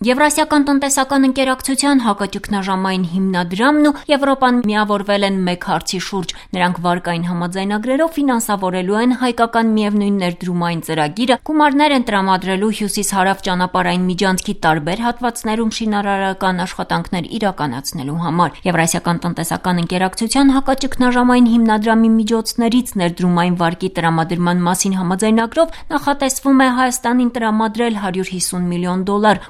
Եվրասիական տնտեսական ընկերակցության հակաճգնաժամային հիմնադրամն ու Եվրոպան միավորվել են մեկ հարցի շուրջ։ Նրանք վարկային համաձայնագրերով ֆինանսավորելու են հայկական միևնույն ներդրումային ծրագիրը, գումարներ են տրամադրելու հյուսիս-հարավ ճանապարհային միջանցքի տարբեր հատվածներում շինարարական աշխատանքներ իրականացնելու համար։ Եվրասիական տնտեսական ընկերակցության հակաճգնաժամային հիմնադրամի միջոցներից ներդրումային վարկի տրամադրման մասին համաձայնագրով նախատեսվում է Հայաստանին տրամադրել $150 միլիոն։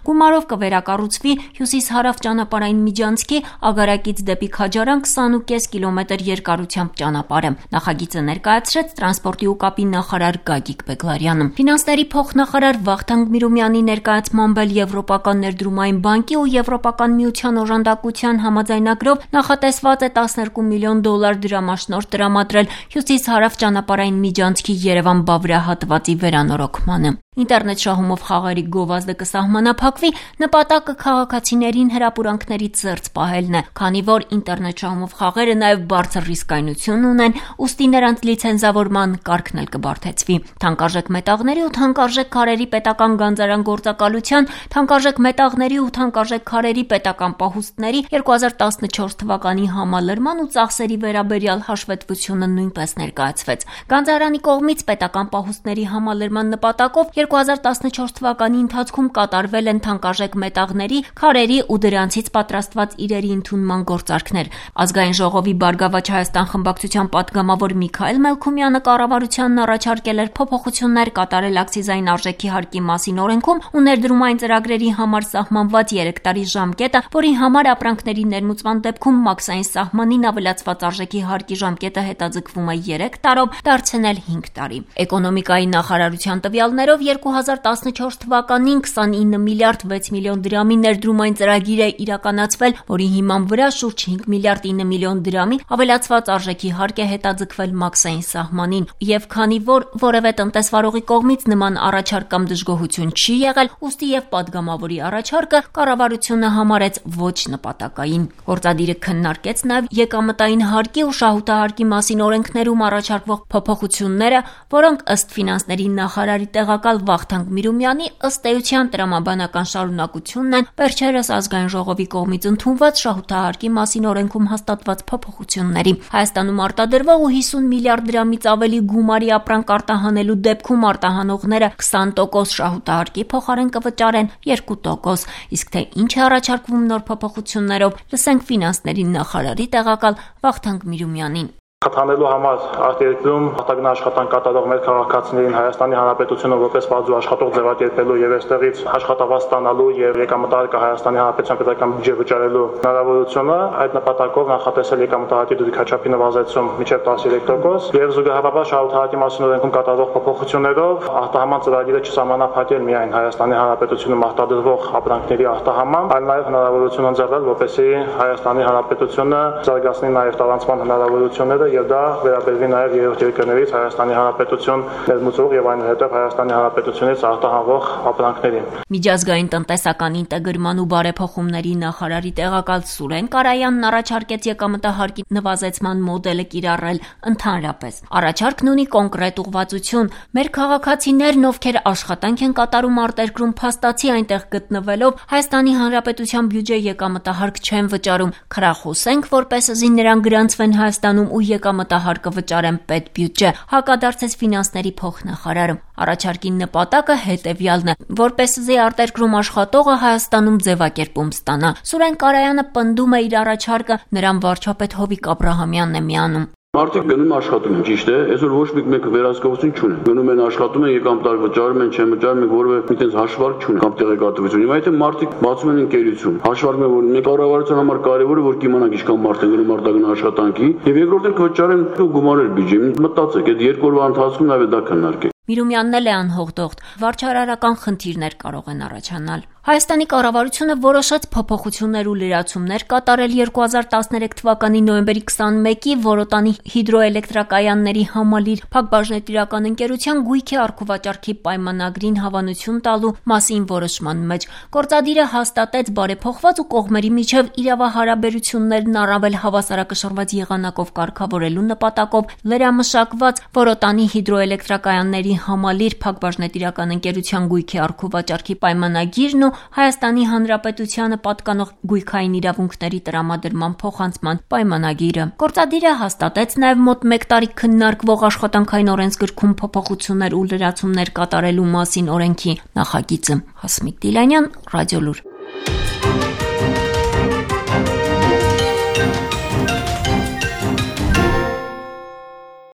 Գումարով կվերակառուցվի հյուսիս-հարավ ճանապարհային միջանցքի Ագարակից դեպի Քաջարան 20.5 կիլոմետր երկարությամբ ճանապարհը։ Նախագիծը ներկայացրեց տրանսպորտի ու կապի նախարար Գագիկ Բեգլարյանը։ Ֆինանսների փոխնախարար Վախթանգ Միրումյանի ներկայացմամբ էլ Եվրոպական ներդրումային բանկի ու Եվրոպական միության օժանդակության համաձայնագրով նախատեսված է $12 միլիոն դրամաշնորհ տրամադրել հյուսիս-հարավ ճանապարհային միջանցքի Երևան-Բավրիա հատվածի վերանորոգմանը։ Ինտերնետ շահումով խաղերի գովազդը կսահմանափակվի, նպատակը քաղաքացիներին հրապուրանքներից զերծ պահելն է, քանի որ ինտերնետ շահումով խաղերը նաև բարձր ռիսկայնություն ունեն, ուստի նրանց լիցենզավորման կարգն էլ կբարդեցվի։ Թանկարժեք մետաղների ու թանկարժեք քարերի պետական գանձարան-գործակալության, թանկարժեք մետաղների ու թանկարժեք քարերի պետական պահուստների 2014 թվականի համալրման ու ծախսերի վերաբերյալ հաշվետվությունը նույնպես ներկայացվեց։ Գանձարանի կողմից պետական պահուստների համալրման նպատակով 2014 թվականի ընթացքում կատարվել են թանկարժեք մետաղների, քարերի ու դրանցից պատրաստված իրերի ընդունման գործարքներ։ Ազգային ժողովի Բարգավաճ Հայաստան խմբակցության պատգամավոր Միքայել Մելքումյանը կառավարությանն առաջարկել էր փոփոխություններ կատարել ակցիզային արժեքի հարկի մասին օրենքում ու ներդրումային ծրագրերի համար սահմանված 3 տարի ժամկետը, որի համար ապրանքների ներմուծման դեպքում մաքսային սահմանին ավելացված արժեքի հարկի ժամկետը հետաձգվում է 3 տարով, դարձնել 5 տարի։ Էկոնոմիկայի նախարարության տվյալներով 2014 թվականին 29 միլիարդ 6 միլիոն դրամի ներդրումային ծրագիր է իրականացվել, որի հիման վրա շուրջ 5 միլիարդ 9 միլիոն դրամի ավելացված արժեքի հարկ է հետաձգվել մաքսային սահմանին, եւ քանի որ որևէ տնտեսվարողի կողմից նման առաջարկ կամ դժգոհություն չի եղել, ուստի եւ падգամավորի առաջարկը կառավարությունը համարեց ոչ նպատակային։ Գործադիրը քննարկեց նաեւ եկամտային հարկի ու շահութահարկի մասին օրենքներում առաջարկվող փոփոխությունները, որոնք ըստ ֆինանսների նախարարի տեղակալ Վախթանգ Միրումյանի ըստ էության տրամաբանական շարունակությունն են վերջերս ազգային ժողովի կողմից ընդունված շահութահարկի մասին օրենքում հաստատված փոփոխությունների։ Հայաստանում արտադրվող ու 50 միլիարդ դրամից ավելի գումարի ապրանք արտահանելու դեպքում արտահանողները 20% շահութահարկի փոխարեն կվճարեն 2%, իսկ թե ինչ է առաջարկվում նոր փոփոխություններով, լսենք ֆինանսների նախարարի տեղակալ Վախթանգ Միրումյանին։ Խթանելու համար արտերկրում արտագնա աշխատանք կատարող մեր քաղաքացիներին Հայաստանի Հանրապետությունը որպես բազու աշխատող ձևակերպելու եւ այստեղից աշխատավարձ ստանալու եւ եկամտահարկը Հայաստանի Հանրապետության պետական բյուջե վճարելու հնարավորությունը, այդ նպատակով նախատեսել եկամտահարկի դրույքաչափի նվազեցում մինչեւ 13% եւ զուգահեռաբար շահութահարկի մասին օրենքում կատարվող փոփոխություններով արտահանման ծրագիրը չսահմանափակել միայն Հայաստանի Հանրապետությունում արտադրվող ապրանքների արտահանման, այլ նաեւ հնարավորություն ընձեռել, որպեսզի Հայաստանի Հանրապետությունը զարգացնի նաեւ տարանցման հնարավորությունները եւ դա վերաբերվի նաեւ երրորդ երկրներից Հայաստանի Հանրապետություն ներմուծող եւ այնուհետեւ Հայաստանի Հանրապետությունից արտահանվող ապրանքներին։ Միջազգային տնտեսական ինտեգրման ու բարեփոխումների նախարարի տեղակալ Սուրեն Կարայանն առաջարկեց եկամտահարկի նվազեցման մոդելը կիրառել ընդհանրապես։ Առաջարկն ունի կոնկրետ ուղղվածություն։ Մեր քաղաքացիներն, ովքեր աշխատանք են կատարում արտերկրում, փաստացի այնտեղ գտնվելով Հայաստանի Հանրապետության բյուջե եկամտահարկ չեն վճարում։ Խրախուսենք, որպեսզի նրանք գրանցվեն Հայաստանում ու եկամտահարկը վճարեն պետբյուջե, հակադարձեց ֆինանսների փոխնախարարը։ Առաջարկի նպատակը հետևյալն է, որպեսզի արտերկրում աշխատողը Հայաստանում ձևակերպում ստանա։ Սուրեն Կարայանը պնդում է իր առաջարկը, նրան վարչապետ Հովիկ Աբրահամյանն է միանում։ Մարդիկ գնում աշխատում են, ճիշտ է, այսօր ոչ մեկ վերահսկողություն չունեն։ Գնում են աշխատում են, եկամտահարկ վճարում են, չեն վճարում, մենք որևէ այդպես հաշվարկ չունենք կամ տեղեկատվություն։ Հիմա եթե մարդիկ բացում են ընկերություն, հաշվարկում են, որ մենք կառավարության համար կարևոր է, որ կիմանանք ինչքան մարդ են գնում արտագնա աշխատանքի, եւ երկրորդն վճարեն գումարել բյուջե։ Մտածեք, այդ 2 օրվա ընթացքում նաեւ դա քննարկեք։ Միրումյանն էլ է անհողդողտ, վարչարարական խնդիրներ կարող են առաջանալ։ Հայաստանի կառավարությունը որոշեց փոփոխություններ ու լրացումներ կատարել 2013 թվականի նոյեմբերի 21-ի Որոտանի հիդրոէլեկտրակայանների համալիր փակbaşնետիրական ընկերության գույքի առքուվաճառքի պայմանագրին հավանություն տալու մասին որոշման մեջ։ Գործադիրը հաստատեց բարեփոխված ու կողմերի միջև իրավահարաբերություններն առավել հավասարակշռված եղանակով կարգավորելու նպատակով լրամշակված Որոտանի հիդրոէլեկտրակայանների համալիր փակbaşնետիրական ընկերության գույքի առքուվաճառքի պայմանագիրն ու Հայաստանի Հանրապետությանը պատկանող գույքային իրավունքների տրամադրման փոխանցման պայմանագիրը։ Գործադիրը հաստատեց նաև մոտ 1 տարի քննարկվող աշխատանքային օրենսգրքում փոփոխություններ ու լրացումներ կատարելու մասին օրենքի նախագիծը։ Հասմիկ Դիլանյան, Ռադիոլուր։